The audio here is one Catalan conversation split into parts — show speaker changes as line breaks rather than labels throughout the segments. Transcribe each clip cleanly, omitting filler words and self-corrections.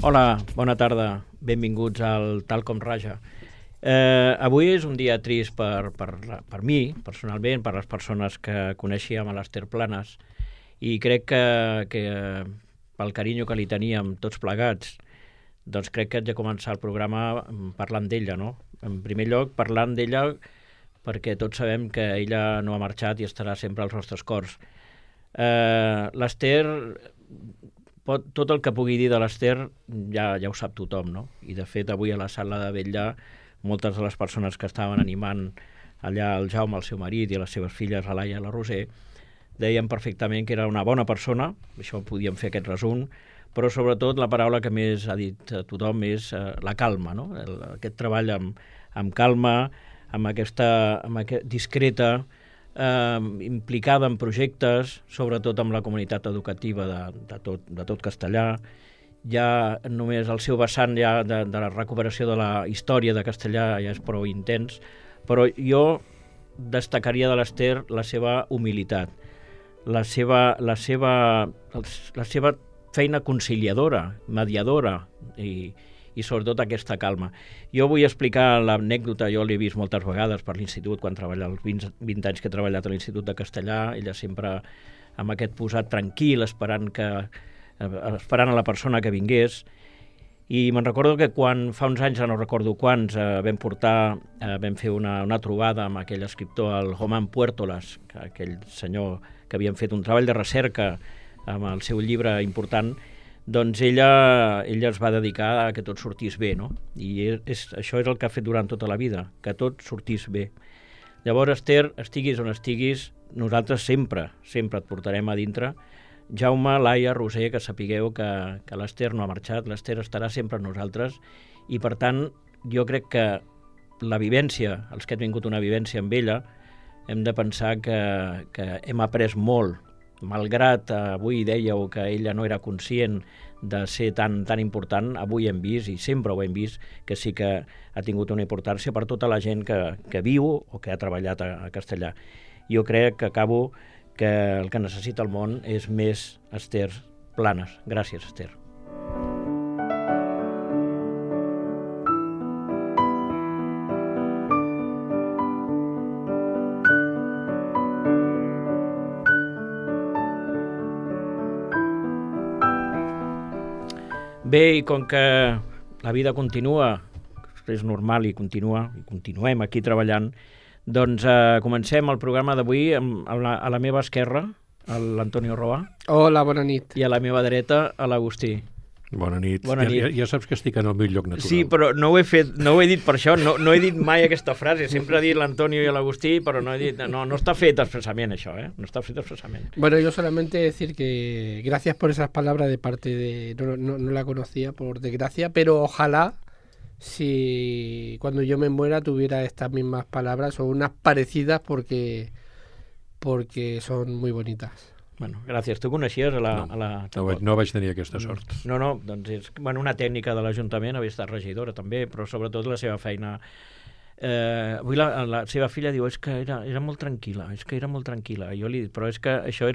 Hola, bona tarda. Benvinguts al Tal com Raja. Avui és un dia trist per mi, personalment, per les persones que coneixíem a l'Ester Planes, i crec que pel carinyo que li teníem tots plegats, doncs crec que haig de començar el programa parlant d'ella, no? En primer lloc, parlant d'ella perquè tots sabem que ella no ha marxat i estarà sempre als nostres cors. L'Ester, tot el que pugui dir de l'Ester ja ho sap tothom, no? I de fet avui a la sala de vetlla moltes de les persones que estaven animant allà el Jaume, el seu marit, i les seves filles, la Laia i la Roser, deien perfectament que era una bona persona, això podíem fer aquest resum, però sobretot la paraula que més ha dit tothom és la calma, no? Aquest treball amb calma, discreta, implicada en projectes, sobretot amb la comunitat educativa de tot Castellà. Ja només el seu vessant ja de la recuperació de la història de Castellà ja és prou intens, però jo destacaria de l'Ester la seva humilitat, la seva feina conciliadora, mediadora i sobretot aquesta calma. Jo vull explicar l'anècdota, jo l'he vist moltes vegades per l'institut, quan treballa els 20 anys que he treballat a l'Institut de Castellà, ella sempre amb aquest posat tranquil, esperant a la persona que vingués. I me'n recordo que quan fa uns anys, no recordo quants, vam fer una trobada amb aquell escriptor, el Román Puertolas, aquell senyor que havien fet un treball de recerca amb el seu llibre important, doncs ella es va dedicar a que tot sortís bé, no? I això és el que ha fet durant tota la vida, que tot sortís bé. Llavors, Ester, estiguis on estiguis, nosaltres sempre et portarem a dintre. Jaume, Laia, Roser, que sapigueu que l'Ester no ha marxat, l'Ester estarà sempre amb nosaltres, i per tant jo crec que la vivència, els que hem vingut una vivència amb ella, hem de pensar que hem après molt, malgrat avui dèieu que ella no era conscient de ser tan important, avui hem vist, i sempre ho hem vist, que sí que ha tingut una importància per tota la gent que viu o que ha treballat a Castellà. Jo crec que acabo que el que necessita el món és més Ester Planes. Gràcies, Ester. Bé, i com que la vida continua, és normal i continuem aquí treballant, doncs comencem el programa d'avui a la meva esquerra, l'Antonio Roa.
Hola, bona nit.
I a la meva dreta, l'Agustí.
Bona nit. Ja saps que estic en el meu lloc natural.
Sí, però no ho he dit per això, no he dit mai aquesta frase, sempre he dit l'Antonio i l'Agustí, però no he dit, no està fet expresament això, no està fet expresament.
Bueno, yo solamente decir que gracias por esas palabras de parte de... No la conocía, por desgracia, pero ojalá si cuando yo me muera tuviera estas mismas palabras o unas parecidas porque son muy bonitas.
Bueno, gràcies. Tu coneixies
No vaig tenir aquesta sort.
No, doncs és una tècnica de l'Ajuntament, havia estat regidora també, però sobretot la seva feina. Avui la seva filla diu que era molt tranquil·la, Jo li dic, però és que això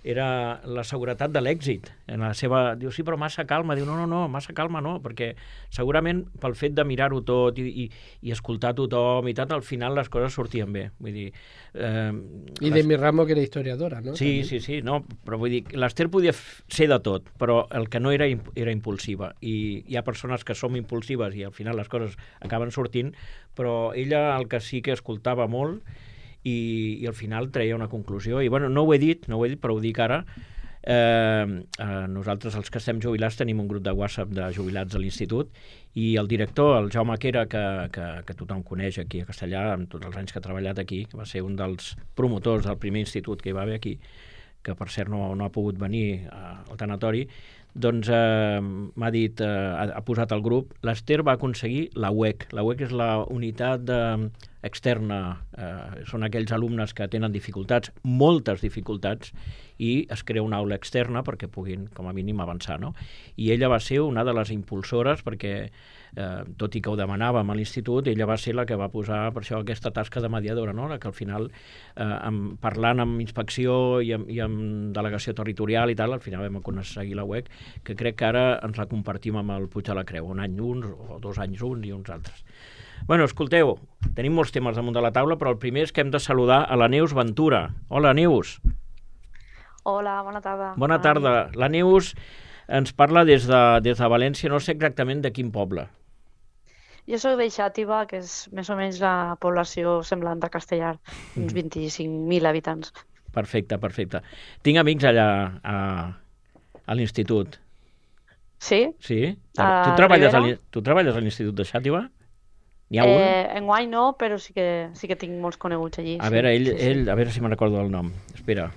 era la seguretat de l'èxit. Diu, sí, però massa calma. Diu, no, massa calma no, perquè segurament pel fet de mirar-ho tot i escoltar tothom i tal, al final les coses sortien bé. Vull dir...
I de mi ramo que era historiadora, no?
Sí, no, però vull dir, l'Ester podia ser de tot, però el que no era impulsiva. I hi ha persones que som impulsives i al final les coses acaben sortint, però ella el que sí que escoltava molt i al final treia una conclusió. I bueno, no ho he dit, però ho dic ara. Nosaltres, els que estem jubilats, tenim un grup de WhatsApp de jubilats a l'institut i el director, el Jaume Quera, que tothom coneix aquí a Castellà, amb tots els anys que ha treballat aquí, que va ser un dels promotors del primer institut que hi va haver aquí, que per cert no ha pogut venir al tanatori, doncs m'ha dit, ha posat al grup, l'Ester va aconseguir la UEC. La UEC és la unitat externa, són aquells alumnes que tenen dificultats, moltes dificultats, i es crea una aula externa perquè puguin, com a mínim, avançar, no? I ella va ser una de les impulsores perquè, tot i que ho demanàvem a l'institut, ella va ser la que va posar per això aquesta tasca de mediadora, no? Que al final, parlant amb inspecció i amb delegació territorial i tal, al final vam aconseguir la UEC, que crec que ara ens la compartim amb el Puig de la Creu, un any uns o 2 anys uns i uns altres. Bueno, escolteu, tenim molts temes damunt de la taula, però el primer és que hem de saludar a la Neus Ventura. Hola, Neus.
Hola, bona tarda.
Bona tarda. La Neus ens parla des de València, no sé exactament de quin poble.
Jo soc de Xàtiva, que és més o menys la població semblant a Castellar, uns 25.000 habitants.
Perfecte, perfecte. Tinc amics allà a l'institut.
Sí?
Sí? Tu treballes a l'Institut de Xàtiva? N'hi ha un?
Enguany no, però sí que tinc molts coneguts allí.
A veure, ell, a veure si me'n recordo el nom. Espera.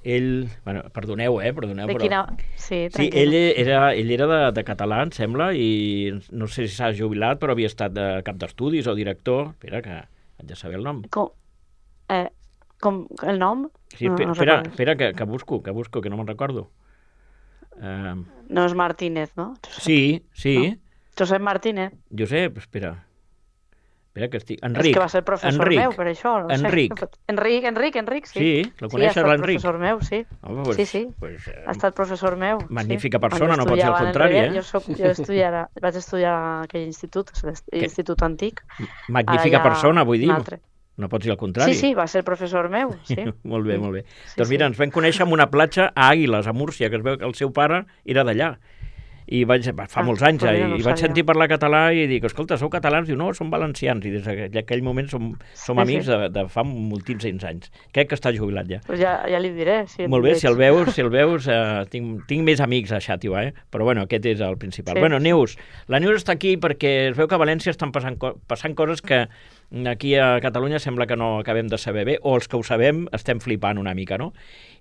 Ell, bueno, perdoneu,
de quina... Sí,
sí, ell era de català, em sembla, i no sé si s'ha jubilat, però havia estat de cap d'estudis o director. Espera, que haig de saber el nom.
Com el nom?
Sí, espera, que busco, que no me'n recordo.
No és Martínez, no?
Sí. No.
Josep Martínez.
Josep, espera que estic... Enric.
És que va ser professor meu, per això. No
Enric.
Sé. Enric, sí.
Sí, lo coneixes, l'Enric?
Sí, ha estat professor meu, sí.
Home, pues,
sí. Ha estat professor meu.
Magnífica persona, no pot ser el contrari,
Jo vaig estudiar a aquell institut, l'Institut Antic.
Magnífica persona, vull dir. No pot ser el contrari.
Sí, va ser professor meu, sí.
Molt bé. Sí, doncs mira, ens vam conèixer en una platja a Àguiles, a Múrcia, que es veu que el seu pare era d'allà. I fa molts anys, i vaig sentir parlar català i dic, escolta, sou catalans? Diu, no, som valencians, i des d'aquell moment som amics de fa moltíssims anys. Crec que està jubilat ja.
Pues ja li diré.
Molt bé, si el veus, tinc més amics a Xàtiva, però bueno, aquest és el principal. Bueno, Neus, la Neus està aquí perquè es veu que a València estan passant coses que aquí a Catalunya sembla que no acabem de saber bé, o els que ho sabem estem flipant una mica, no?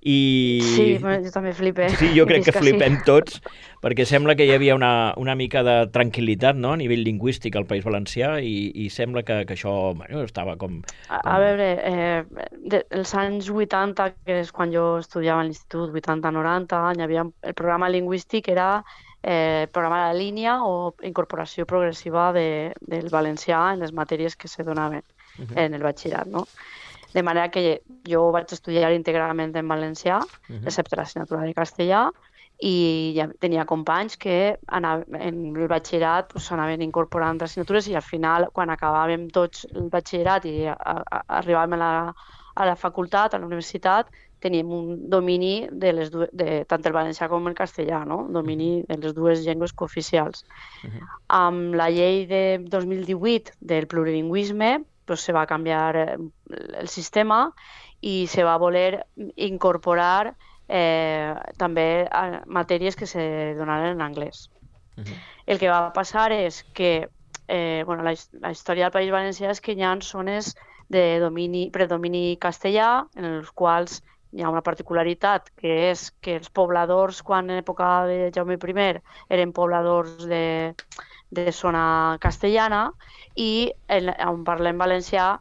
Sí, jo també flipé.
Sí, jo crec que flipem tots, perquè sembla que hi havia una mica de tranquil·litat, no?, a nivell lingüístic al País Valencià, i sembla que això estava com...
A veure, els anys 80, que és quan jo estudiava a l'institut, 80-90, hi havia el programa lingüístic, era programa de línia o incorporació progressiva del valencià en les matèries que se donaven en el batxillerat, no? De manera que jo vaig estudiar íntegrament en valencià, excepte l'assignatura de castellà, i ja tenia companys que en el batxillerat anaven incorporant assignatures, i al final, quan acabàvem tots el batxillerat i arribàvem a la facultat, a la universitat, teníem un domini de tant el valencià com el castellà, no? Un domini de les dues llengües cooficials. Amb la llei de 2018 del plurilingüisme, se va canviar el sistema i se va voler incorporar també matèries que se donaren en anglès. El que va passar és que la història del País Valencià és que hi ha zones de predomini castellà, en els quals hi ha una particularitat, que és que els pobladors, quan en època de Jaume I, eren pobladors de zona castellana, i on parlem valencià,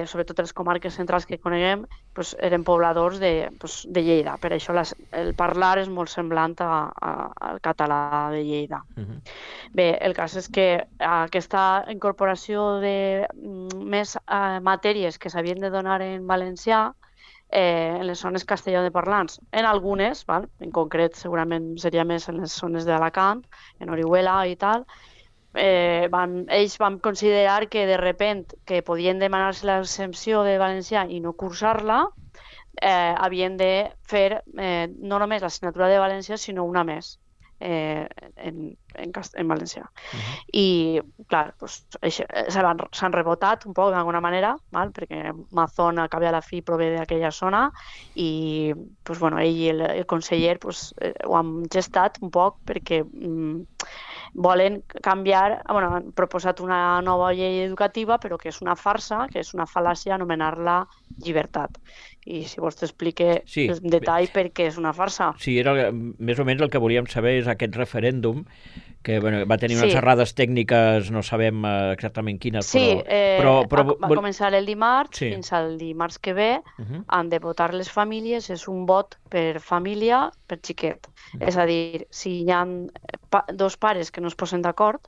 sobretot les comarques centrals que coneguem, eren pobladors de Lleida. Per això el parlar és molt semblant al català de Lleida. Bé, el cas és que aquesta incorporació de més matèries que s'havien de donar en valencià en les zones castellanoparlants, en algunes, en concret segurament seria més en les zones d'Alacant, en Orihuela i tal, ells van considerar que de repent que podien demanar-se l'exempció de valencià i no cursar-la, havien de fer no només l'assignatura de valencià, sinó una més en valencià. I, clar, s'han rebotat un poc d'alguna manera, perquè Mazón, al cap i a la fi, prové d'aquella zona, i ell i el conseller ho han gestat un poc perquè volen canviar, han proposat una nova llei educativa, però que és una farsa, que és una fal·làcia anomenar-la llibertat. I si vols t'explique en detall per què és una farsa.
Sí, era més o menys el que volíem saber, és aquest referèndum que va tenir unes errades tècniques, no sabem exactament quines,
però va començar el dimarts, fins al dimarts que ve, han de votar les famílies, és un vot per família, per xiquet. És a dir, si hi ha dos pares que no es posen d'acord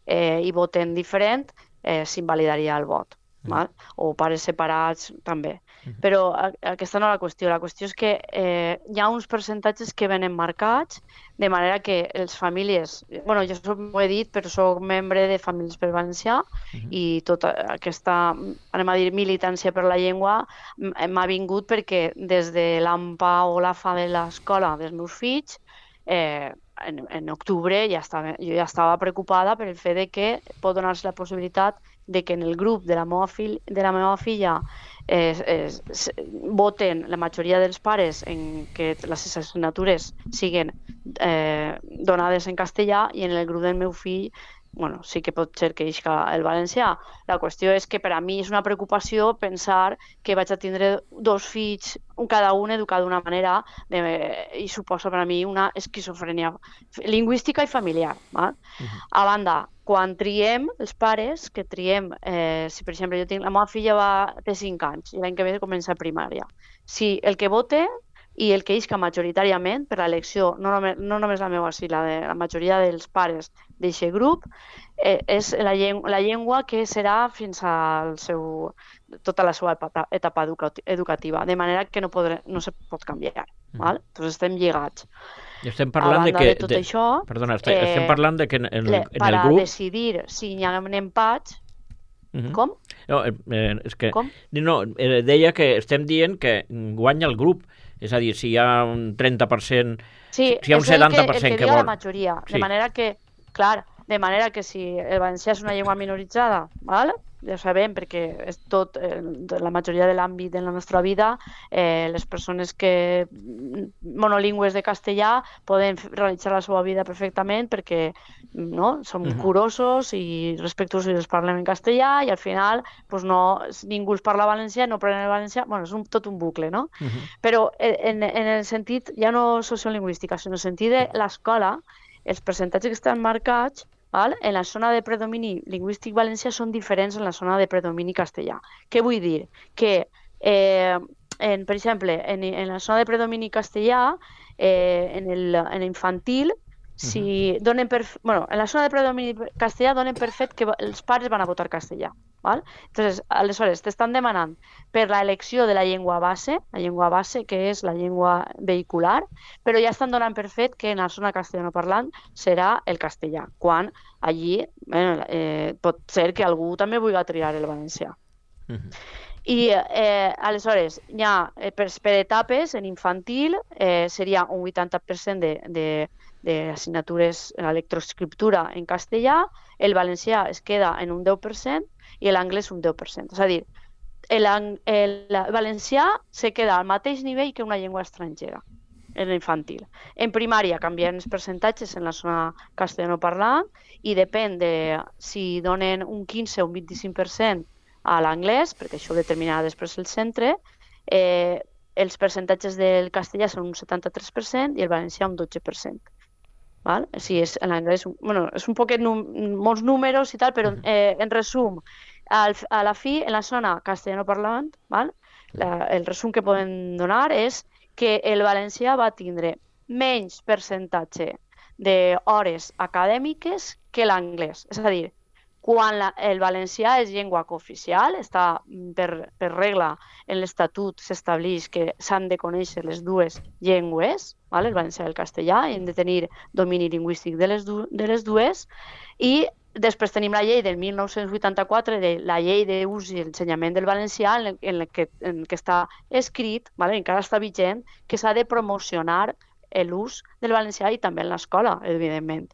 i voten diferent, s'invalidaria el vot. O pares separats també. Però aquesta no és la qüestió. La qüestió és que hi ha uns percentatges que venen marcats, de manera que les famílies... Bueno, jo ho he dit, però soc membre de Famílies per Valencià i tota aquesta, anem a dir, militància per la llengua m'ha vingut perquè des de l'AMPA o l'AFA de l'escola dels meus fills, en octubre jo ja estava preocupada per el fet de que pot donar-se la possibilitat de que en el grup de la meva filla voten la majoria dels pares en que les assignatures siguin donades en castellà i en el grup del meu fill sí que pot ser que isca el valencià. La qüestió és que per a mi és una preocupació pensar que vaig a tindre dos fills, cada un educat d'una manera, i suposa per a mi una esquizofrènia lingüística i familiar. A banda, quan triem, els pares, que triem, si per exemple la meva filla té 5 anys i l'any que ve comença a primària, si el que vote i el que isca majoritàriament per l'elecció, no només la meva, sinó la majoria dels pares d'aquest grup, és la llengua que serà fins a tota la seva etapa educativa, de manera que no se pot canviar. Doncs estem lligats.
I estem parlant de que...
tot això,
perdona, estem parlant de que en el grup...
Per a decidir si hi ha empats... Com?
No, és que... Deia que estem dient que guanya el grup. És a dir, si hi ha un 30%...
Sí,
si hi ha un 70%
el que diu la majoria. De manera que si el valencià és una llengua minoritzada, ja sabem, perquè és tot, la majoria de l'àmbit de la nostra vida, les persones que monolingües de castellà poden realitzar la seva vida perfectament perquè som curosos i respectuosos i els parlem en castellà i al final ningú els parla valencià, no aprenen el valencià, és tot un bucle, no? Però en el sentit, ja no sociolingüística, sinó en el sentit de l'escola, els percentatges que estan marcats en la zona de predomini lingüístic valencià són diferents en la zona de predomini castellà. Què vull dir? Que, per exemple, en la zona de predomini castellà, en l'infantil, en la zona de predomini castellà donen per fet que els pares van a votar castellà. Entonces, aleshores, t'estan demanant per l'elecció de la llengua base, que és la llengua vehicular, però ja estan donant per fet que en la zona castellanoparlant serà el castellà, quan allí pot ser que algú també vulgui triar el valencià. I aleshores, per etapes, en infantil seria un 80% d'assignatures a lectoescriptura en castellà, el valencià es queda en un 10% i l'anglès un 10%. És a dir, el valencià se queda al mateix nivell que una llengua estrangera en l'infantil. En primària canvien els percentatges en la zona castellanoparlant i depèn de si donen un 15 o un 25% a l'anglès, perquè això ho determinarà després el centre, els percentatges del castellà són un 73% i el valencià un 12%. Si és l'anglès, és un poquet molts números i tal, però en resum, a la fi, en la zona castellanoparlant, el resum que podem donar és que el valencià va tindre menys percentatge d'hores acadèmiques que l'anglès. És a dir, quan el valencià és llengua cooficial, està per regla en l'Estatut s'estableix que s'han de conèixer les dues llengües, el valencià i el castellà, i hem de tenir domini lingüístic de les dues, i després tenim la llei del 1984, la llei d'ús i ensenyament del valencià, en què està escrit, encara està vigent, que s'ha de promocionar l'ús del valencià i també en l'escola, evidentment.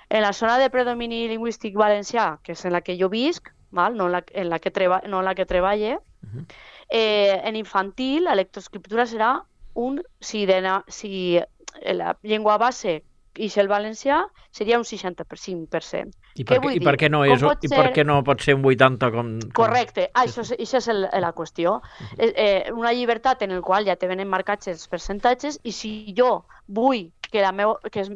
En la zona de predomini lingüístic valencià, que és en la que jo visc, no en la que treballe, en infantil la lectoescriptura serà si la llengua base i el valencià seria un 65%.
I per què no pot ser un 80%?
Correcte, això és la qüestió. Una llibertat en la qual ja te venen marcats els percentatges i si jo vull que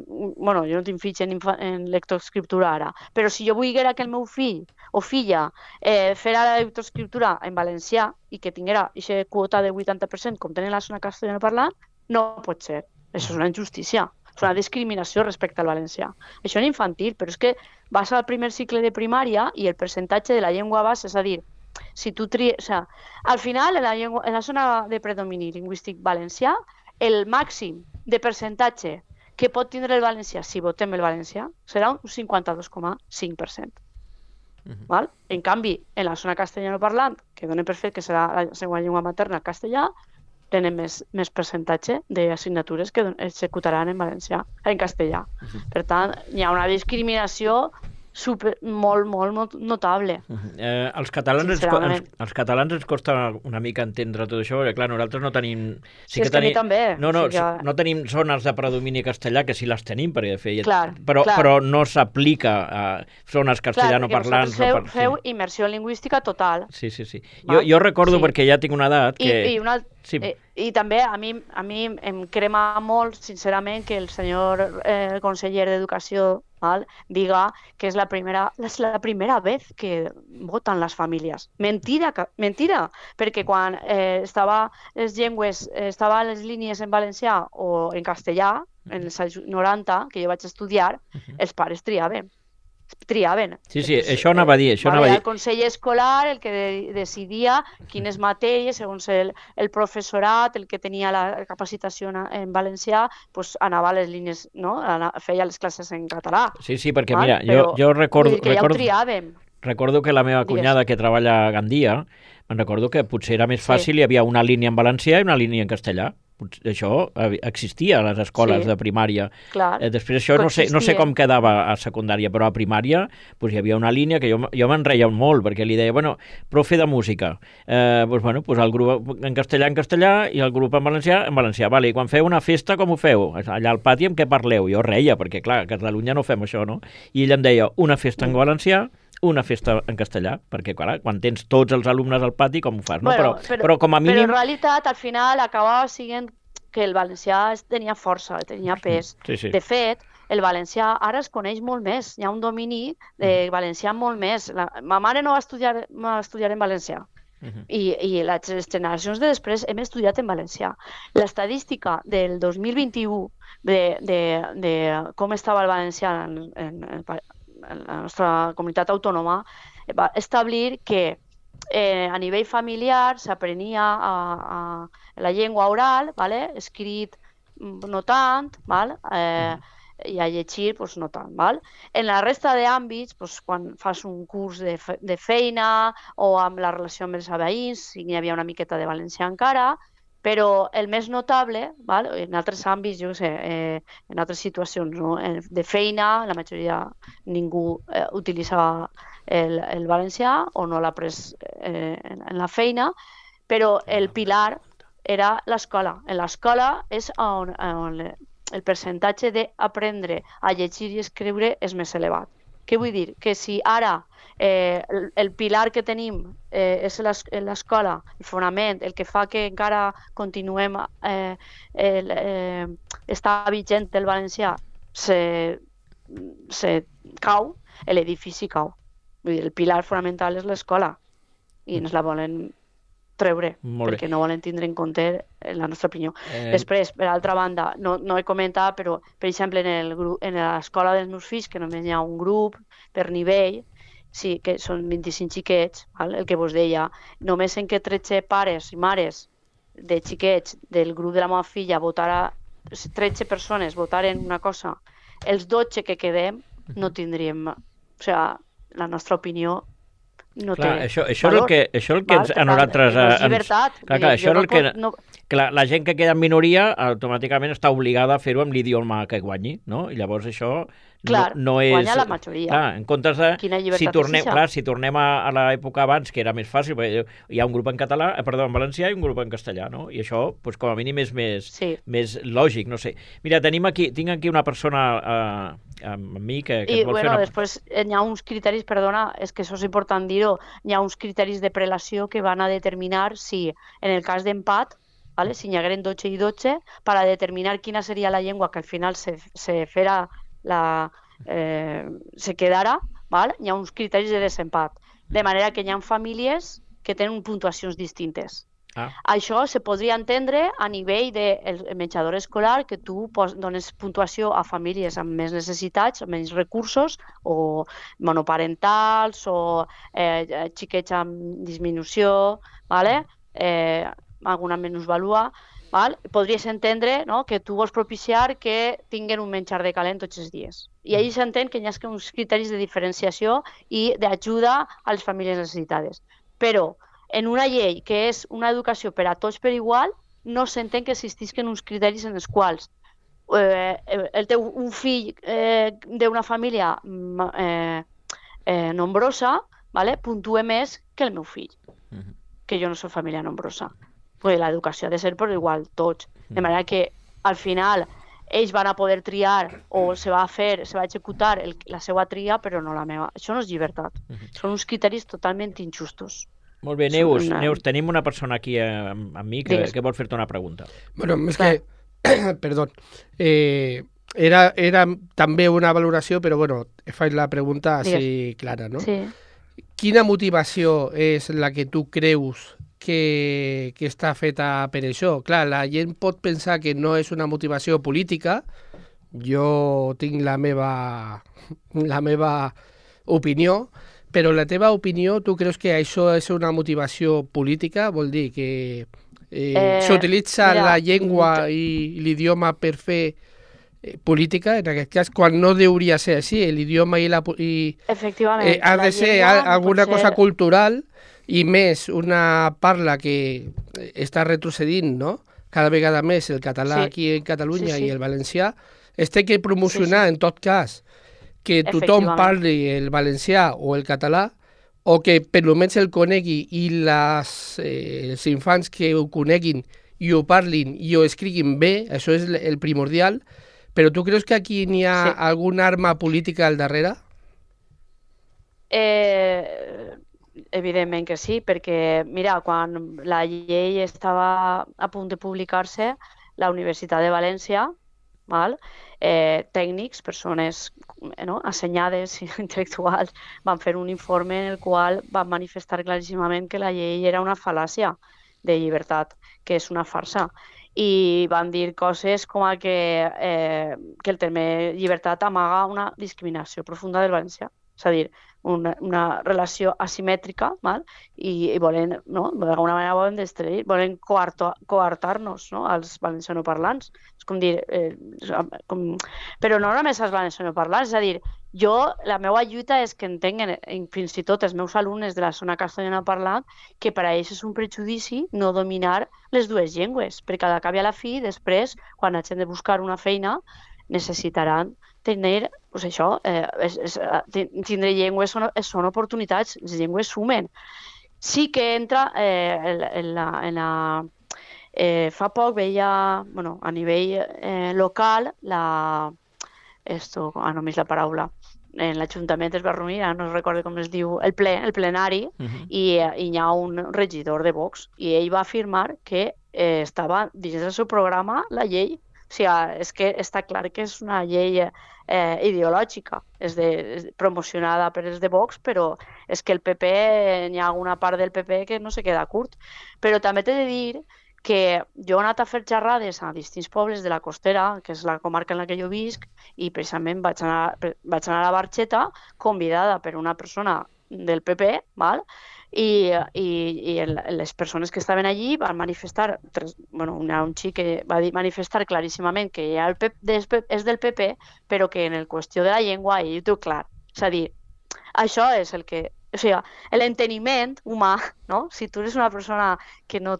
bueno, jo no tinc fills en lectoescriptura ara, però si jo volguera que el meu fill o filla fera la lectoescriptura en valencià i que tinguera aquesta quota de 80% com tenen la zona castellanoparlant, no pot ser. Això és una injustícia. És una discriminació respecte al valencià. Això en infantil, però és que vas al primer cicle de primària i el percentatge de la llengua base, és a dir, si tu tries... O sea, al final, en la zona de predomini lingüístic valencià, el màxim de percentatge que pot tindre el valencià si votem el valencià serà un 52,5%. Val? En canvi, en la zona castellanoparlant, que donen per fet que serà la segona llengua materna el castellà, tenen més percentatge d'assignatures que executaran en castellà. Per tant, hi ha una discriminació molt notable.
Els catalans ens costa una mica entendre tot això, perquè clar, nosaltres no tenim... No tenim zones de predomini castellà, que sí les tenim, perquè de fet, però no s'aplica a zones castellanoparlants.
Clar, feu immersió lingüística total.
Sí. Jo recordo, perquè ja tinc una edat, que...
I també a mi em crema molt, sincerament, que el senyor conseller d'Educació diga que és la primera vez que voten les famílies. Mentira, perquè quan estaven les línies en valencià o en castellà, en els anys 90, que jo vaig estudiar, els pares triaven.
Sí, això anava a dir.
El Consell Escolar el que decidia quines matèries, segons el professorat, el que tenia la capacitació en valencià, pues anava a les línies, no? Feia les classes en català.
Sí, perquè mira, jo recordo...
Que ja ho triàvem.
Recordo que la meva cunyada que treballa a Gandia, me'n recordo que potser era més fàcil, hi havia una línia en valencià i una línia en castellà. Això existia a les escoles de primària. Després això no sé com quedava a secundària, però a primària hi havia una línia que jo me'n reia molt, perquè li deia, profe de música, el grup en castellà i el grup en valencià. Vale, i quan feu una festa, com ho feu? Allà al pati amb què parleu? Jo reia, perquè clar, a Catalunya no fem això, no? I ell em deia, una festa en valencià, una festa en castellà, perquè clar, quan tens tots els alumnes al pati, com ho fas? No? Però com a mínim...
Però en realitat, al final, acabava sent que el valencià tenia força, tenia pes.
Sí.
De fet, el valencià ara es coneix molt més, hi ha un domini de valencià molt més. Ma mare no va estudiar en valencià, i les generacions de després hem estudiat en valencià. L'estadística del 2021 de com estava el valencià en la nostra comunitat autònoma va establir que a nivell familiar s'aprenia la llengua oral, escrit no tant, i a llegir no tant. En la resta d'àmbits, quan fas un curs de feina o amb la relació amb els veïns, hi havia una miqueta de valencià encara, però el més notable, en altres àmbits, jo sé, en altres situacions de feina, la majoria ningú utilitzava el valencià o no l'ha pres en la feina, però el pilar era l'escola. En l'escola és on el percentatge d'aprendre a llegir i escriure és més elevat. Què vull dir? Que si ara el pilar que tenim és l'escola, el fonament, el que fa que encara continuem està vigent el valencià, se cau, l'edifici cau. Vull dir, el pilar fonamental és l'escola i ens la volen treure perquè no volen tindre en compte la nostra opinió. Després, per altra banda, no he comentat, però per exemple en l'escola dels meus fills, que només hi ha un grup per nivell, sí, que són 25 xiquets, el que vos deia, només en què 13 pares i mares de xiquets del grup de la meva filla 13 persones votaren una cosa, els 12 que quedem no tindríem, o sigui, la nostra opinió no té
això és el que a nosaltres... Això és el que la gent que queda en minoria automàticament està obligada a fer-ho amb l'idioma que guanyi, no? I llavors això no és...
Guanya la majoria.
En comptes de... Si tornem a l'època abans, que era més fàcil, perquè hi ha un grup en en valencià i un grup en castellà, no? I això, com a mínim, és més lògic, no sé. Mira, tinc aquí una persona amb mi que
et vol fer una... Després hi ha uns criteris, perdona, és que això és important dir-ho, hi ha uns criteris de prelació que van a determinar si, en el cas d'empat, ¿vale? Si n'hi hagueren 12 i 12, per a determinar quina seria la llengua que al final se quedara, ¿vale? Hi ha uns criteris de desempat, de manera que hi ha famílies que tenen puntuacions distintes. Això se podria entendre a nivell del menjador escolar, que tu dones puntuació a famílies amb més necessitats, amb menys recursos, o monoparentals, o xiquets amb disminució, ¿vale? Alguna minusvalua. Podries entendre, no?, que tu vols propiciar que tinguin un menjar de calent tots els dies. I allà s'entén que hi ha uns criteris de diferenciació i d'ajuda a les famílies necessitades. Però en una llei que és una educació per a tots per igual, no s'entén que existisquen uns criteris en els quals un fill d'una família nombrosa, puntue més que el meu fill, que jo no soc família nombrosa. L'educació ha de ser per igual, tots. De manera que, al final, ells van a poder triar o se va executar la seva tria, però no la meva. Això no és llibertat. Són uns criteris totalment injustos.
Molt bé, Neus, tenim una persona aquí amb mi que vol fer-te una pregunta.
Bueno, és que, perdó, era també una valoració, però bueno, faig la pregunta així clara, no?
Sí.
Quina motivació és la que tu creus que està feta per això? Clar, la gent pot pensar que no és una motivació política. Jo tinc la meva opinió, però la teva opinió, tu creus que això és una motivació política? Vol dir que s'utilitza la llengua i l'idioma per fer política, en aquest cas, quan no hauria de ser així. L'idioma
efectivament,
ha de ser alguna cosa cultural, i més una parla que està retrocedint, no?, cada vegada més el català aquí en Catalunya i el valencià. Es té que promocionar, en tot cas, que tothom parli el valencià o el català, o que per almenys el conegui i els infants que ho coneguin i ho parlin i ho escriguin bé, això és el primordial. Però tu creus que aquí n'hi ha alguna arma política al darrere?
Evidentment que sí, perquè, mira, quan la llei estava a punt de publicar-se, la Universitat de València, tècnics, persones assenyades, intel·lectuals, van fer un informe en el qual van manifestar claríssimament que la llei era una fal·làcia de llibertat, que és una farsa. I van dir coses com que el terme llibertat amaga una discriminació profunda del valencià. És a dir, una relació asimètrica, i volen, d'alguna manera volen coartar-nos, als valencianoparlants. És com dir, però no només als valencianoparlants, és a dir, la meva lluita és que entenguen, fins i tot els meus alumnes de la zona castellana parlant, que per a ells és un prejudici no dominar les dues llengües, perquè al cap i a la fi, després, quan hagin de buscar una feina, necessitaran tenir, tindre llengües són oportunitats, les llengües sumen. Sí que entra fa poc veia, a nivell local, només la paraula, en l'Ajuntament es va reunir, no recordo com es diu, el plenari, i hi ha un regidor de Vox, i ell va afirmar que estava dins del seu programa la llei. O sigui, és que està clar que és una llei ideològica, és promocionada per els de Vox, però és que el PP, hi ha alguna part del PP que no se queda curt. Però també t'he de dir que jo he anat a fer xerrades a distints pobles de la Costera, que és la comarca en la que jo visc, i precisament vaig anar a Barxeta, convidada per una persona del PP, i les persones que estaven allí van manifestar, un xic que va manifestar claríssimament que ja és del PP, però que en el qüestió de la llengua ell ho té clar. És a dir, això és el que... O sigui, l'enteniment humà, si tu eres una persona que no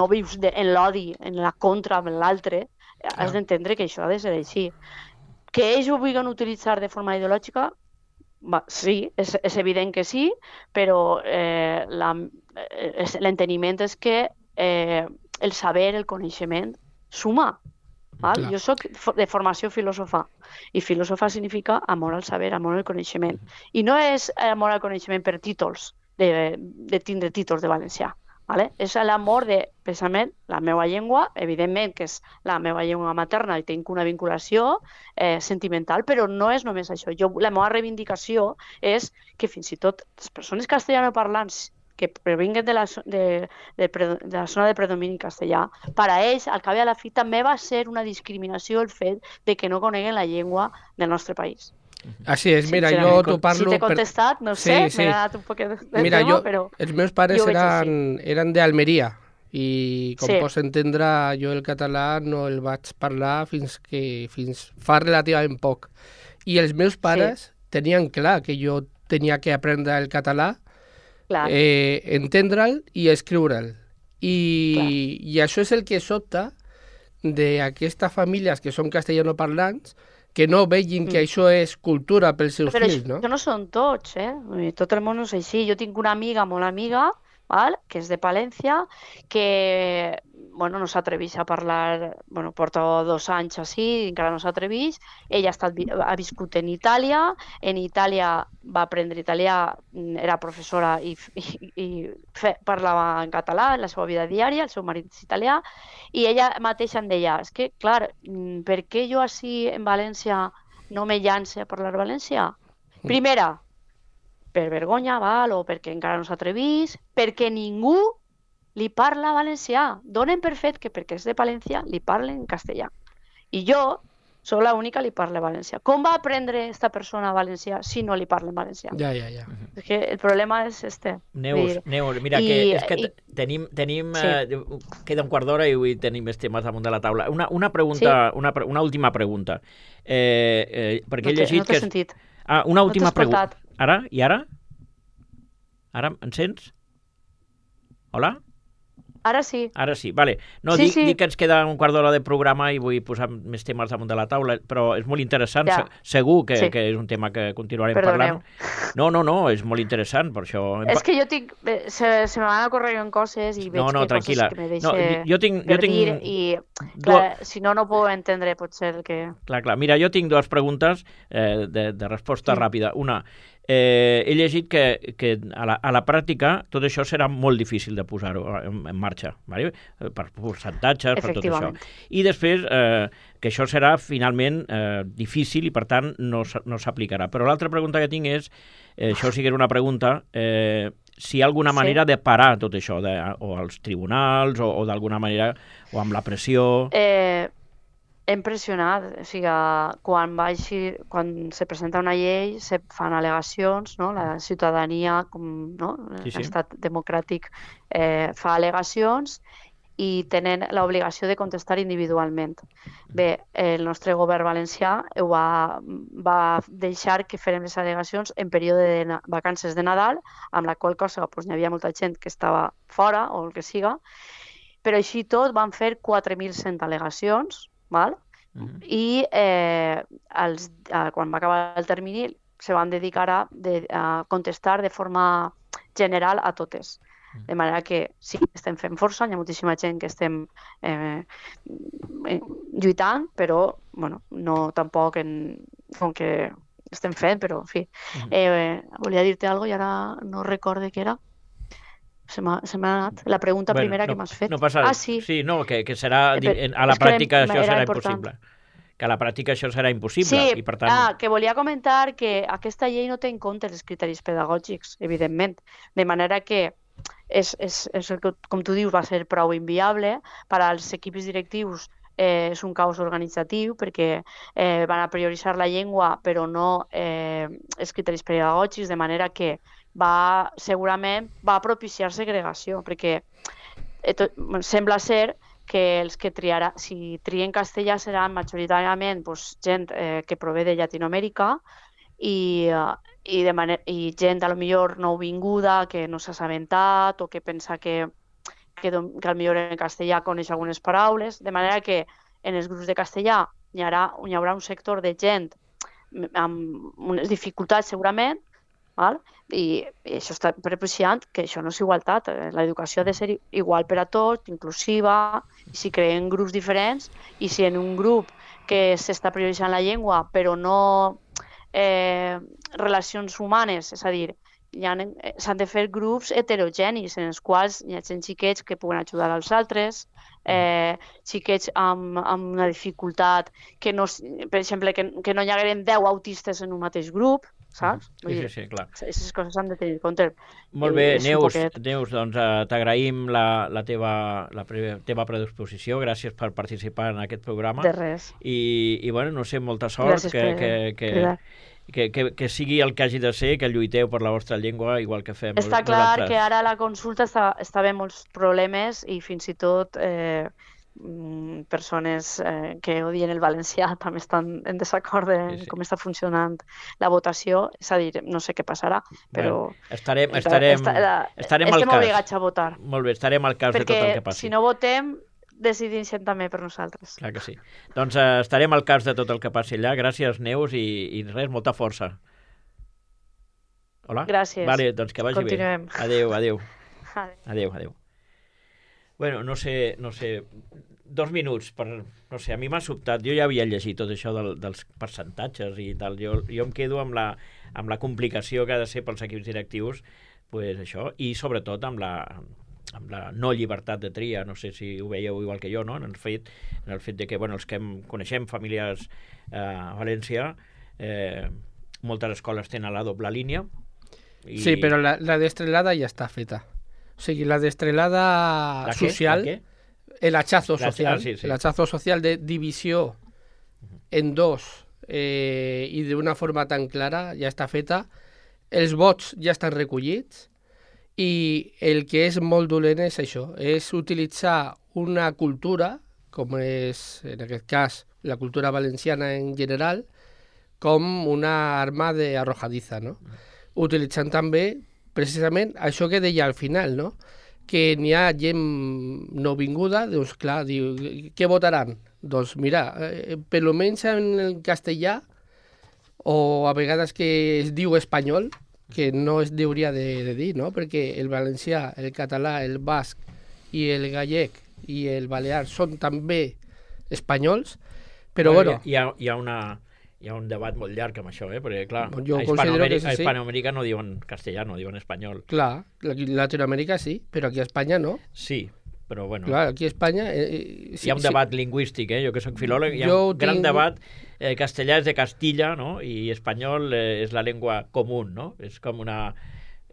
vius en l'odi, en la contra amb l'altre, has d'entendre que això ha de ser així. Que ells ho vulguin utilitzar de forma ideològica, sí, és evident que sí, però l'enteniment és que el saber, el coneixement, suma. Jo soc de formació filòsofa, i filòsofa significa amor al saber, amor al coneixement. I no és amor al coneixement per títols, de tindre títols de valencià. Vale? És l'amor de, precisament, la meva llengua, evidentment que és la meva llengua materna i tinc una vinculació sentimental, però no és només això. La meva reivindicació és que fins i tot les persones castellanoparlants que provinguen de la zona de predomini castellà, per a ells, al cap i a la fi, també va ser una discriminació el fet de que no coneguen la llengua del nostre país.
Així és, mira, jo t'ho parlo...
Si t'he contestat, no sé, m'he anat un poc de tema, però...
Els meus pares eren d'Almeria i, com pots entendre, jo el català no el vaig parlar fins fa relativament poc. I els meus pares tenien clar que jo tenia que aprendre el català, entendre'l i escriure'l. I això és el que sobta d'aquestes famílies que són castellanoparlants, que no vegin que això és cultura pels seus fills, no?
Però no són tots, Tot el món no és així. Jo tinc una amiga, molt amiga, que és de Palència, que no s'atreveix a parlar, porta 2 anys així, encara no s'atreveix. Ella ha viscut en Itàlia va aprendre italià, era professora i parlava en català en la seva vida diària, el seu marit és italià, i ella mateixa em deia, és que, clar, per què jo així en València no me llance a parlar valencià? Primera, per vergonya, o perquè encara no s'atreveix, perquè ningú li parla valencià. Donen per fet que perquè és de Palència li parlen castellà. I jo soc l'única que li parla valencià. Com va aprendre aquesta persona valencià si no li parla valencià?
Ja.
És que el problema és este.
Neus, mira, és que tenim queda un quart d'hora i avui tenim més temes damunt de la taula. Una pregunta, una última pregunta. Perquè he llegit que...
No t'he sentit.
Una última pregunta. Ara? I ara? Ara em sents? Hola?
Ara sí.
Ara sí, vale. No, dic que ens queda un quart d'hora de programa i vull posar més temes damunt de la taula, però és molt interessant. Segur que és un tema que continuarem parlant. No, és molt interessant, per això...
És que jo tinc... Se me van ocorrent coses i veig
tranquil·la.
Coses que me deixen per dir i, clar, si no puc entendre potser el que...
Clar. Mira, jo tinc 2 preguntes de resposta ràpida. Una, he llegit que a la pràctica tot això serà molt difícil de posar-ho en marxa, vale? Per percentatges, per tot això. I després que això serà finalment difícil i per tant no s'aplicarà. Però l'altra pregunta que tinc és, això sí que era una pregunta, si hi ha alguna manera de parar tot això, o als tribunals o d'alguna manera, o amb la pressió...
Hem pressionat, o sigui, quan se presenta una llei se fan al·legacions, no? La ciutadania, l'estat democràtic fa al·legacions i tenen l'obligació de contestar individualment. Bé, el nostre govern valencià va deixar que fèrem les al·legacions en període de vacances de Nadal, amb la qual cosa hi havia molta gent que estava fora o el que siga, però així tot van fer 4.100 al·legacions, i quan va acabar el termini se van dedicar a contestar de forma general a totes. De manera que sí, estem fent força, hi ha moltíssima gent que estem lluitant, però no tampoc com que estem fent, però en fi. Volia dir-te alguna cosa i ara no recorde què era. Se m'ha anat. La pregunta primera que m'has fet.
No passa res.
Sí.
Sí, no, que serà... A la pràctica això serà impossible. Que a la pràctica això serà impossible.
Sí,
i per tant...
que volia comentar que aquesta llei no té en compte els criteris pedagògics, evidentment. De manera que com tu dius, va ser prou inviable. Per als equips directius és un caos organitzatiu perquè van a prioritzar la llengua però no els criteris pedagògics, de manera que segurament va propiciar segregació, perquè sembla ser que els que si trien castellà seran majoritàriament gent que prové de Llatinoamèrica i gent a lo millor nouvinguda que no s'ha assabentat o que pensa que al millor en castellà coneix algunes paraules, de manera que en els grups de castellà hi haurà un sector de gent amb unes dificultats segurament, i això està propiciant que això no és igualtat. L'educació ha de ser igual per a tots, inclusiva, i si creen grups diferents, i si en un grup que s'està prioritzant la llengua però no relacions humanes, és a dir, s'han de fer grups heterogenis en els quals hi ha xiquets que puguen ajudar als altres, xiquets amb una dificultat que no, per exemple, que no hi hagueren 10 autistes en un mateix grup, saps?
Sí, clar.
Aquestes coses s'han de tenir en compte.
Molt bé, Neus, doncs t'agraïm la teva predisposició, gràcies per participar en aquest programa.
De res.
I bueno, no sé, molta sort, que sigui el que hagi de ser, que lluiteu per la vostra llengua, igual que fem
nosaltres. Està clar que ara la consulta està bé molts problemes i fins i tot persones que odien el valencià també estan en desacord de com està funcionant la votació, és a dir, no sé què passarà, però
estarem al cas.
Obligats a votar.
Molt bé, estarem al cas de tot el que passi.
Perquè si no votem, decidint-se també per nosaltres.
Clar que sí. Doncs estarem al cas de tot el que passi allà. Gràcies, Neus, i res, molta força. Hola?
Gràcies.
Vale, doncs que vagi
Continuem.
Bé. Adéu. Bueno, no sé, 2 minuts per... No sé, a mi m'ha sobtat. Jo ja havia llegit tot això dels percentatges i tal. Jo em quedo amb la complicació que ha de ser pels equips directius, pues això, i sobretot amb la no llibertat de tria. No sé si ho veieu igual que jo, no? En el fet de que, bueno, els que coneixem famílies a València, moltes escoles tenen la doble línia.
Sí, però la destrelada ja està feta. O sigui, la destrelada social, el hachazo social, el hachazo social de divisió en dos i d'una forma tan clara ja està feta. Els vots ja estan recollits i el que és molt dolent és això, és utilitzar una cultura, com és en aquest cas la cultura valenciana en general, com una arma arrojadiza, no? Utilitzant també precisament això que deia al final, no? Que n'hi ha gent nouvinguda, doncs clar, diu, què votaran? Doncs mira, per almenys en el castellà, o a vegades que es diu espanyol, que no es hauria de dir, no? Perquè el valencià, el català, el basc i el gallec i el balear són també espanyols, però bueno...
Hi ha un debat molt llarg amb això, perquè, clar,
a
Hispanoamèrica no diuen castellà, no diuen espanyol.
Clar, Latinoamèrica sí, però aquí a Espanya no.
Sí, però bueno...
Clar, aquí a Espanya...
Hi ha un debat lingüístic, jo que soc filòleg, hi ha un gran debat. Castellà és de Castilla, no?, i espanyol és la llengua comú, no? És com una...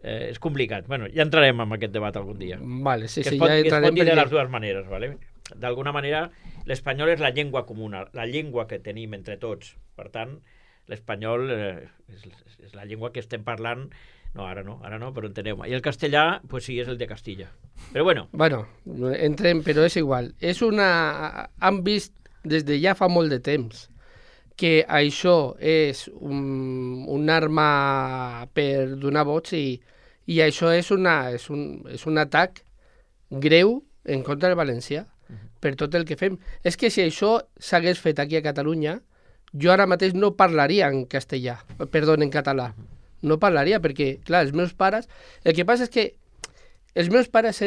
és complicat. Bueno, ja entrarem en aquest debat algun dia.
Vale, sí,
ja entrarem. Es pot dir de les dues maneres, ¿vale? D'alguna manera, l'espanyol és la llengua comuna, la llengua que tenim entre tots. Per tant, l'espanyol és la llengua que estem parlant. No, ara no, però enteneu-me. I el castellà, pues sí, és el de Castilla. Però bueno.
Bueno, entrem, però és igual. Han vist des de ja fa molt de temps que això és un arma per donar vots i això és un atac greu en contra del valencià per tot el que fem. És que si això s'hagués fet aquí a Catalunya, jo ara mateix no parlaria en català. No parlaria perquè, clar, els meus pares... El que passa és que els meus pares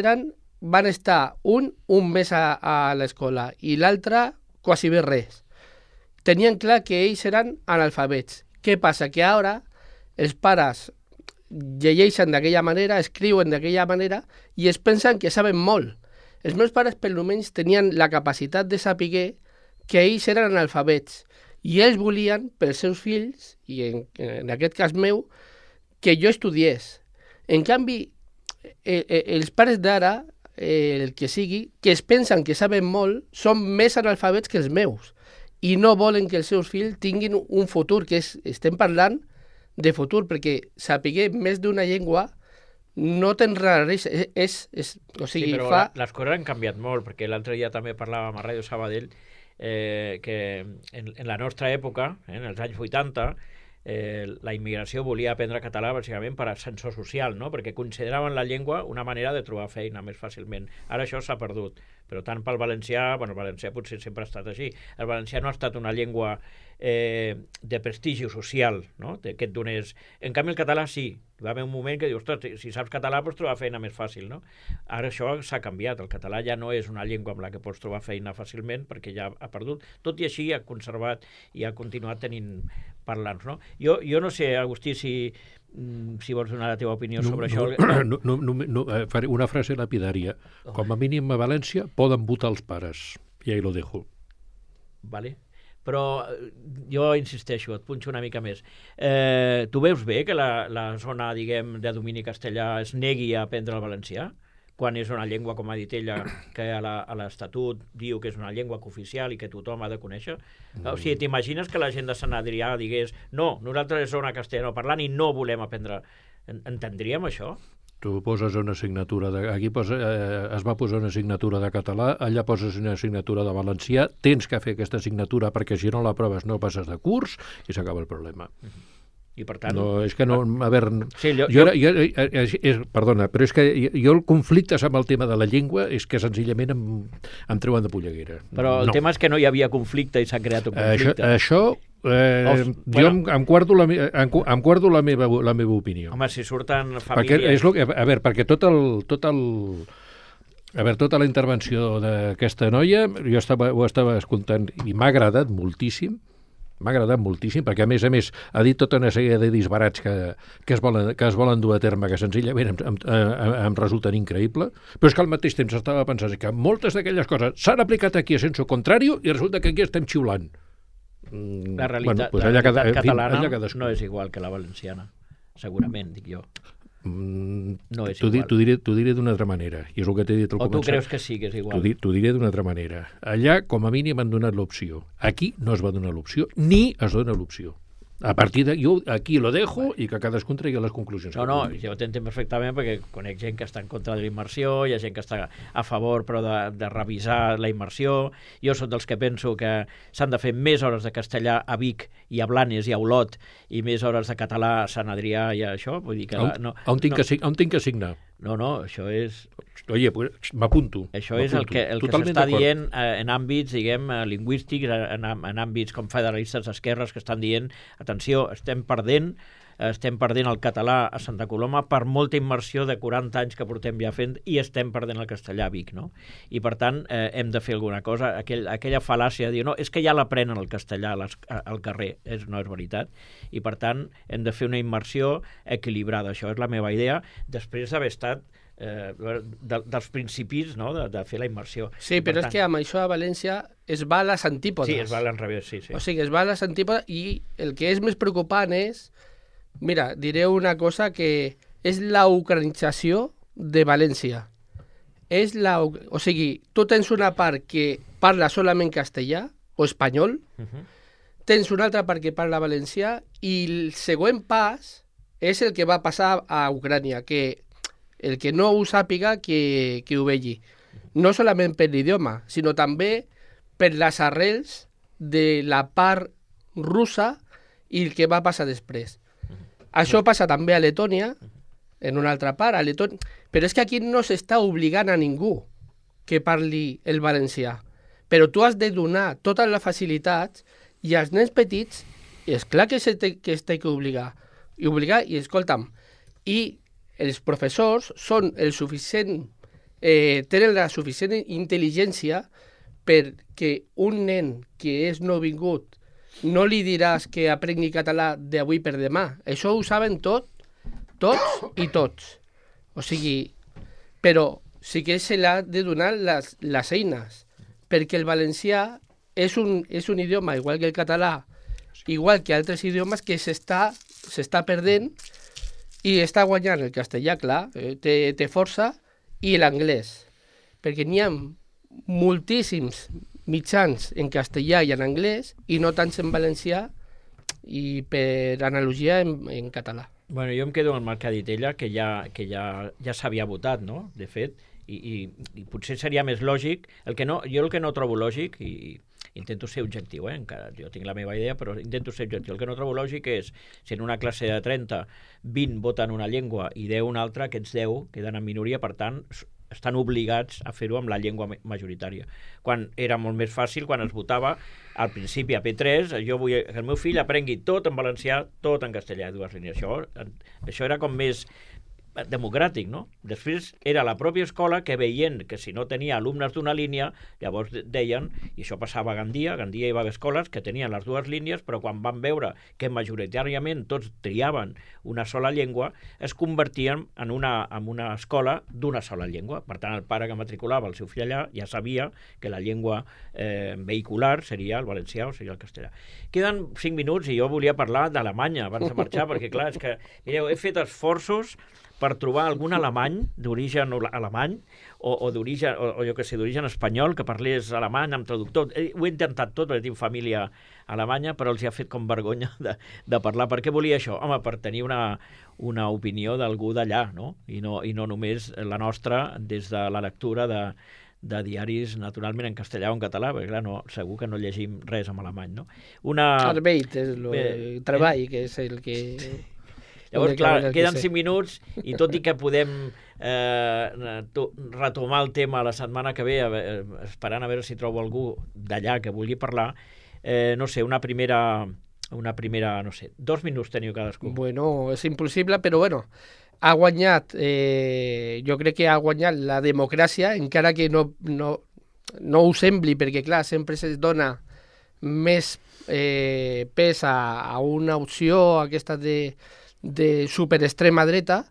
van estar un mes a l'escola i l'altre quasi bé res. Tenien clar que ells eren analfabets. Què passa? Que ara els pares llegeixen d'aquella manera, escriuen d'aquella manera i es pensen que saben molt. Els meus pares, per almenys, tenien la capacitat de saber que ells eren analfabets i ells volien, pels seus fills, i en aquest cas meu, que jo estudiés. En canvi, els pares d'ara, el que sigui, que es pensen que saben molt, són més analfabets que els meus i no volen que els seus fills tinguin un futur, que estem parlant de futur, perquè saber més d'una llengua no te'n res. O sigui,
sí, però les coses han canviat molt, perquè l'altre dia també parlàvem a Ràdio Sabadell que en la nostra època, en els anys 80, la immigració volia aprendre català bàsicament per ascensor social, no? Perquè consideraven la llengua una manera de trobar feina més fàcilment. Ara això s'ha perdut, però tant pel valencià, bueno, el valencià potser sempre ha estat així, el valencià no ha estat una llengua de prestigi social, no? Que et donés... En canvi el català sí, va haver un moment que dius, ostres, si saps català pots trobar feina més fàcil, no? Ara això s'ha canviat, el català ja no és una llengua amb la que pots trobar feina fàcilment perquè ja ha perdut, tot i així ha conservat i ha continuat tenint parlants, no? Jo no sé, Agustí, si vols donar la teva opinió sobre això.
Faré una frase lapidària. Com a mínim a València poden votar els pares. I ahí lo dejo.
Vale. Però jo insisteixo, et punxo una mica més. Tu veus bé que la zona, diguem, de domini castellà es negui a aprendre el valencià? Quan és una llengua, com ha dit ella, que a l'Estatut diu que és una llengua cooficial i que tothom ha de conèixer? O sigui, t'imagines que la gent de Sant Adrià digués no, nosaltres som una castellanoparlant i no volem aprendre. Entendríem això?
Tu poses una assignatura, aquí es va posar una assignatura de català, allà poses una assignatura de valencià, tens que fer aquesta assignatura perquè si no la proves no passes de curs i s'acaba el problema.
I per tant...
No, és que no... A veure...
Sí,
perdona, però és que jo el conflicte amb el tema de la llengua és que senzillament em treuen de polleguera.
Però el tema és que no hi havia conflicte i s'ha creat un conflicte.
Jo em guardo la meva opinió.
Home, si surten famílies...
Perquè tota la intervenció d'aquesta noia, jo ho estava escoltant i m'ha agradat moltíssim, perquè a més ha dit tota una sèrie de disbarats que es volen dur a terme, que senzillament em resulten increïbles, però és que al mateix temps estava pensant que moltes d'aquelles coses s'han aplicat aquí a senso contrario i resulta que aquí estem xiulant.
La realitat catalana no és igual que la valenciana, segurament, dic jo. No és igual.
T'ho diré d'una altra manera, i és el que t'he dit al començar.
O tu creus que sí que és igual?
T'ho diré d'una altra manera. Allà, com a mínim, han donat l'opció. Aquí no es va donar l'opció, ni es dona l'opció. A partir de... Jo aquí lo dejo i que cadascun tregui les conclusions.
No, jo t'entenc perfectament perquè conec gent que està en contra de la immersió, hi ha gent que està a favor però de revisar la immersió. Jo soc dels que penso que s'han de fer més hores de castellà a Vic i a Blanes i a Olot i més hores de català a Sant Adrià i a això. Vull dir que
on tinc que signar?
No, això és...
Oye, pues m'apunto.
Això és el que s'està dient en àmbits, diguem, lingüístics, en àmbits com federalistes d'esquerres que estan dient, atenció, estem perdent el català a Santa Coloma per molta immersió de 40 anys que portem ja fent i estem perdent el castellà a Vic, no? I per tant hem de fer alguna cosa. Aquella fal·làcia de dir, no, és que ja l'aprenen el castellà al carrer, no és veritat, i per tant hem de fer una immersió equilibrada. Això és la meva idea, després d'haver estat dels principis, no?, de fer la immersió.
Sí, però és que amb això a València es va a les antípodes.
Sí, es va a l'enrevés, sí.
O sigui, es va a les antípodes i el que és més preocupant és, mira, diré una cosa que és la ucranització de València. O sigui, tu tens una part que parla solament castellà o espanyol, tens una altra part que parla valencià i el següent pas és el que va passar a Ucrània, que el que no ho sàpiga que ho vegi. No solament per l'idioma, sinó també per les arrels de la part russa i el que va passar després. Això passa també a Letònia, en una altra part, però és que aquí no s'està obligant a ningú que parli el valencià. Però tu has de donar totes les facilitats i als nens petits, és clar que s'ha que obligar, i escolta'm, i els professors són tenen la suficient intel·ligència perquè un nen que és nouvingut no li diràs que aprengui català d'avui per demà. Això ho saben tots i tots. O sigui, però sí que se l'ha de donar les eines, perquè el valencià és un idioma, igual que el català, igual que altres idiomes, que s'està perdent i està guanyant el castellà, clar, té força, i l'anglès. Perquè n'hi ha moltíssims mitjans en castellà i en anglès, i no tants en valencià, i per analogia en català.
Bueno, jo em quedo amb el que ha dit ella, que ja s'havia votat, no?, de fet, i potser seria més lògic, jo el que no trobo lògic, i intento ser objectiu, encara jo tinc la meva idea, però intento ser objectiu. El que no trobo lògic és, si en una classe de 30, 20 voten una llengua i 10 una altra, aquests 10 queden en minoria, per tant, estan obligats a fer-ho amb la llengua majoritària. Quan era molt més fàcil, quan es votava al principi a P3, jo vull que el meu fill aprengui tot en valencià, tot en castellà, dues línies. Això era com més democràtic, no? Després era la pròpia escola que veient que si no tenia alumnes d'una línia, llavors deien, i això passava a Gandia hi va haver escoles que tenien les dues línies, però quan van veure que majoritàriament tots triaven una sola llengua, es convertien en una escola d'una sola llengua. Per tant, el pare que matriculava el seu fill allà ja sabia que la llengua vehicular seria el valencià o seria el castellà. Queden 5 minuts i jo volia parlar d'Alemanya abans de marxar, perquè clar, és que, mireu, he fet esforços per trobar algun alemany d'origen alemany o d'origen, o jo que sé, d'origen espanyol que parlés alemany amb traductor. Ho he intentat tot perquè tinc família alemanya, però els hi ha fet com vergonya de parlar. Per què volia això? Home, per tenir una opinió d'algú d'allà, no? I no només la nostra des de la lectura de diaris, naturalment, en castellà o en català, perquè clar, segur que no llegim res en alemany, no?
Arbeit és el treball, que és el que...
Llavors, clar, queden 5 minuts i tot i que podem retomar el tema la setmana que ve, esperant a veure si trobo algú d'allà que vulgui parlar, no sé, una primera, no sé, 2 minuts teniu cadascú.
Bueno, és impossible, però bueno, ha guanyat, jo crec que ha guanyat la democràcia, encara que no ho sembli, perquè clar, sempre es dona més pes a una opció aquesta de superextrema dreta.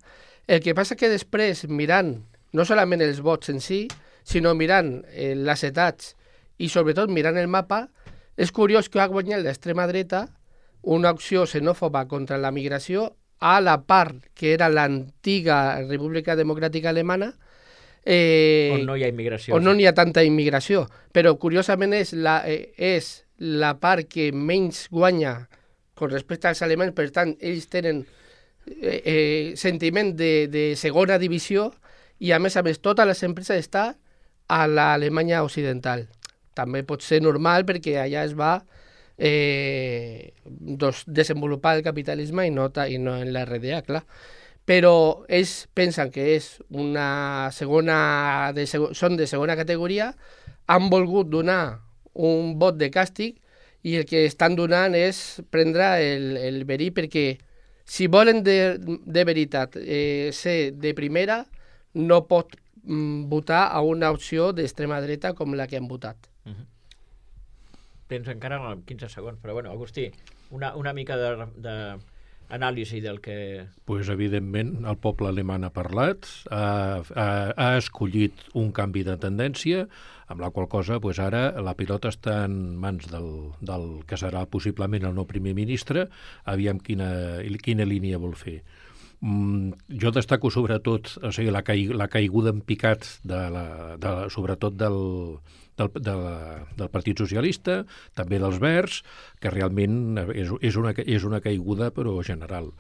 El que passa que després, mirant no solament els vots en si, sinó mirant les edats i sobretot mirant el mapa, és curiós que ha guanyat l'extrema dreta una opció xenòfoba contra la migració a la part que era l'antiga República Democràtica Alemana,
on no hi ha immigració.
On no hi ha tanta immigració. Però curiosament és la part que menys guanya con respecte als alemanys, per tant, ells tenen sentiment de segona divisió i, a més, totes les empreses estan a l'Alemanya occidental. També pot ser normal perquè allà es va desenvolupar el capitalisme i no en la RDA, clar. Però ells pensen que és una són de segona categoria, han volgut donar un vot de càstig i el que estan donant és prendre el verí, perquè si volen de veritat ser de primera, no pot votar a una opció d'extrema dreta com la que han votat.
Tens encara 15 segons, però bueno, Agustí, una mica d'anàlisi del que...
Pues, evidentment, el poble alemany ha parlat, ha escollit un canvi de tendència, amb la qual cosa pues, ara la pilota està en mans del que serà possiblement el nou primer ministre, aviam quina línia vol fer. Jo destaco sobretot la caiguda en picat sobretot del Partit Socialista, també dels Verds, que realment és una caiguda però general.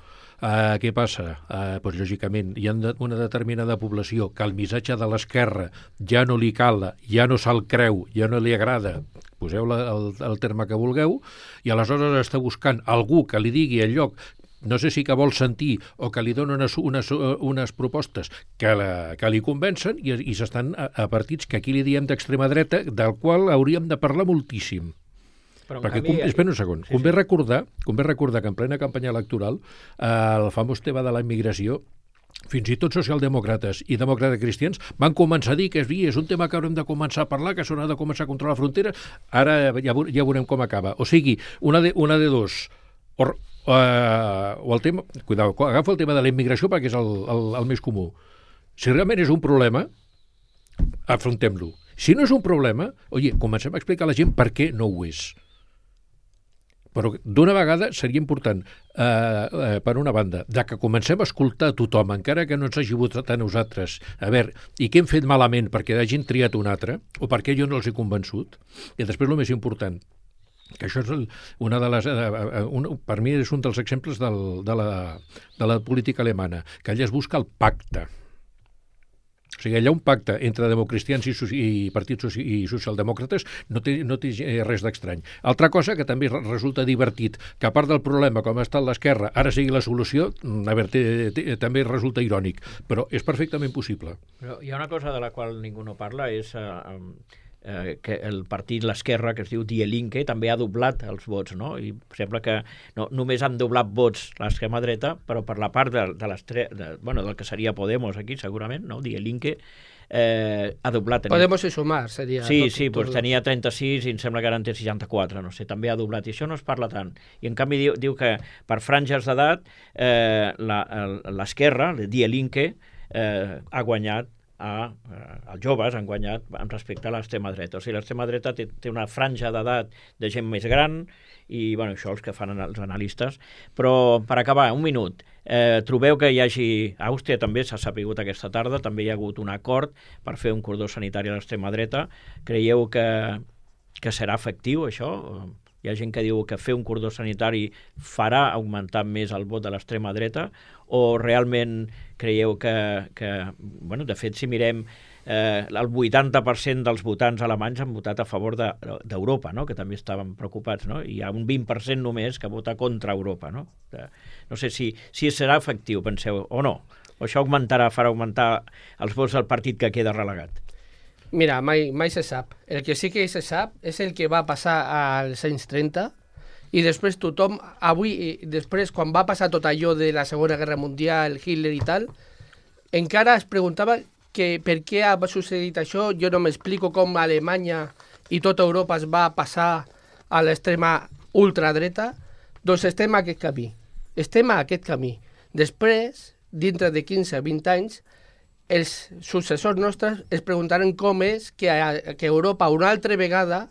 Què passa? Pues, lògicament, hi ha una determinada població que el missatge de l'esquerra ja no li cala, ja no se'l creu, ja no li agrada, poseu el terme que vulgueu, i aleshores està buscant algú que li digui el lloc, no sé si que vol sentir o que li donen unes propostes que li convencen i s'estan a partits que aquí li diem d'extrema dreta, del qual hauríem de parlar moltíssim. Perquè, espera un segon, convé recordar que en plena campanya electoral el famós tema de la immigració, fins i tot socialdemòcrates i demòcrates cristians van començar a dir que és un tema que haurem de començar a parlar, que s'haurà de començar a controlar fronteres, ara ja veurem com acaba. O sigui, una de dos, o el tema, cuidao, agafa el tema de la immigració perquè és el més comú. Si realment és un problema, afrontem-lo. Si no és un problema, comencem a explicar a la gent per què no ho és. Però d'una vegada seria important, per una banda, que comencem a escoltar a tothom, encara que no ens hagi votat a nosaltres, a veure, i què hem fet malament perquè hagin triat un altre, o perquè jo no els he convençut, i després el més important, que això és una de les... per mi és un dels exemples de la política alemana, que allà es busca el pacte. O sigui, allà un pacte entre democristians i partits i socialdemòcrates no té res d'estrany. Altra cosa que també resulta divertit, que a part del problema, com ha estat l'esquerra, ara sigui la solució, a veure, també resulta irònic, però és perfectament possible.
Però hi ha una cosa de la qual ningú no parla, és que el partit L'Esquerra, que es diu Die Linke, també ha doblat els vots, no? I sembla que no, només han doblat vots l'extrema dreta, però per la part del que seria Podemos aquí, segurament, no? Die Linke ha doblat.
Podemos sumar, seria...
Sí, doncs tenia 36 i em sembla que ara en té 64, no sé, també ha doblat, i això no es parla tant. I en canvi diu que per franges d'edat l'Esquerra, Die Linke, ha guanyat els joves han guanyat amb respecte a l'extrema dreta. O sigui, l'extrema dreta té una franja d'edat de gent més gran i, bueno, això els que fan els analistes. Però, per acabar, un minut, trobeu que hi hagi... A Àustria també s'ha sapigut aquesta tarda, també hi ha hagut un acord per fer un cordó sanitari a l'extrema dreta. Creieu que serà efectiu, això? Hi ha gent que diu que fer un cordó sanitari farà augmentar més el vot de l'extrema dreta, o realment creieu que bueno, de fet, si mirem, el 80% dels votants alemanys han votat a favor d'Europa, no? Que també estaven preocupats, no? I hi ha un 20% només que vota contra Europa, no? No sé si serà efectiu, penseu, o no. O això farà augmentar els vots del partit que queda relegat.
Mira, mai se sap. El que sí que se sap és el que va passar als anys 30 i després tothom, després quan va passar tot allò de la Segona Guerra Mundial, Hitler i tal, encara es preguntava que per què ha succeït això. Jo no m'explico com Alemanya i tota Europa es va passar a l'extrema ultradreta. Doncs estem a aquest camí. Després, dintre de 15-20 anys, els successors nostres es preguntaran com és que Europa una altra vegada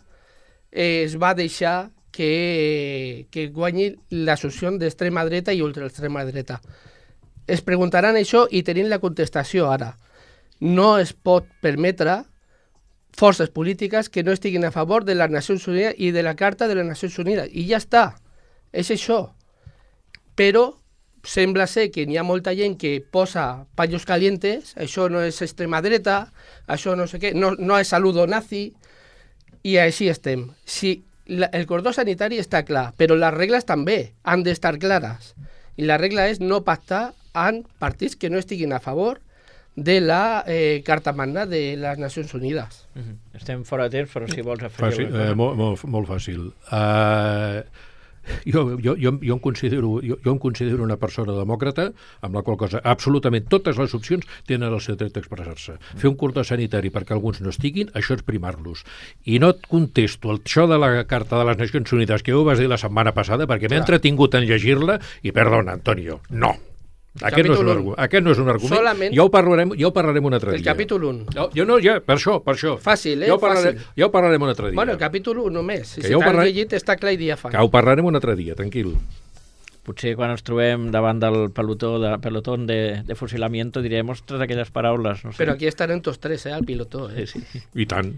es va deixar que guanyi l'associació d'extrema dreta i ultraextrema dreta. Es preguntaran això i tenim la contestació ara. No es pot permetre forces polítiques que no estiguin a favor de les Nacions Unides i de la Carta de les Nacions Unides. I ja està. És això. Però sembla ser que n'hi ha molta gent que posa paños calientes, això no és extrema dreta, això no sé què, no és saludo nazi, i així estem. Sí, el cordó sanitari està clar, però les regles també han d'estar clares. I la regla és no pactar amb partits que no estiguin a favor de la Carta Magna de les Nacions Unides.
Estem fora de temps, però si vols afegir...
Molt fàcil. Jo em considero una persona demòcrata, amb la qual cosa absolutament totes les opcions tenen el seu dret d'expressar-se. Fer un cordó sanitari perquè alguns no estiguin, això és primar-los. I no et contesto això de la Carta de les Nacions Unides que ho vas dir la setmana passada perquè m'he entretingut en llegir-la i, perdona, Antonio, no. Aquest no és un argument.
Solament...
Ja ho parlarem un altre dia.
El capítol 1.
Per això.
Fàcil,
Ja ho parlarem un altre dia.
Bueno, el capítol 1 només. Si t'has llegit està clar i diàfan.
Que ho parlarem un altre dia, tranquil.
Potser quan ens trobem davant del pelotón de fusilamiento direm, ostres, aquelles paraules. No sé.
Però aquí estarem tots tres, al pilotó.
Sí.
I tant.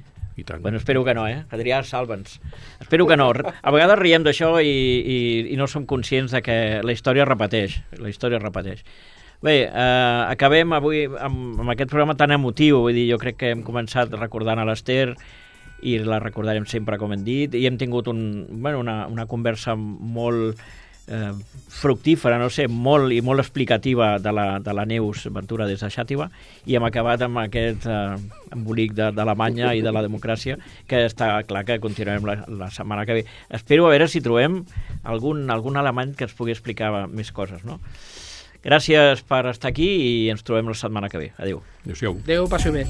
Bueno, espero que no, Adrià, salva'ns. Espero que no. A vegades riem d'això i no som conscients de que la història repeteix. Bé, acabem avui amb aquest programa tan emotiu. Vull dir, jo crec que hem començat recordant a l'Ester i la recordarem sempre, com hem dit, i hem tingut una conversa molt fructífera, no sé, molt explicativa de la Neus Ventura des de Xàtiva, i hem acabat amb aquest embolic d'Alemanya i de la democràcia, que està clar que continuarem la setmana que ve. Espero a veure si trobem algun alemany que ens pugui explicar més coses, no? Gràcies per estar aquí i ens trobem la setmana que ve. Adéu.
Adéu-siau.
Adéu, passi bé.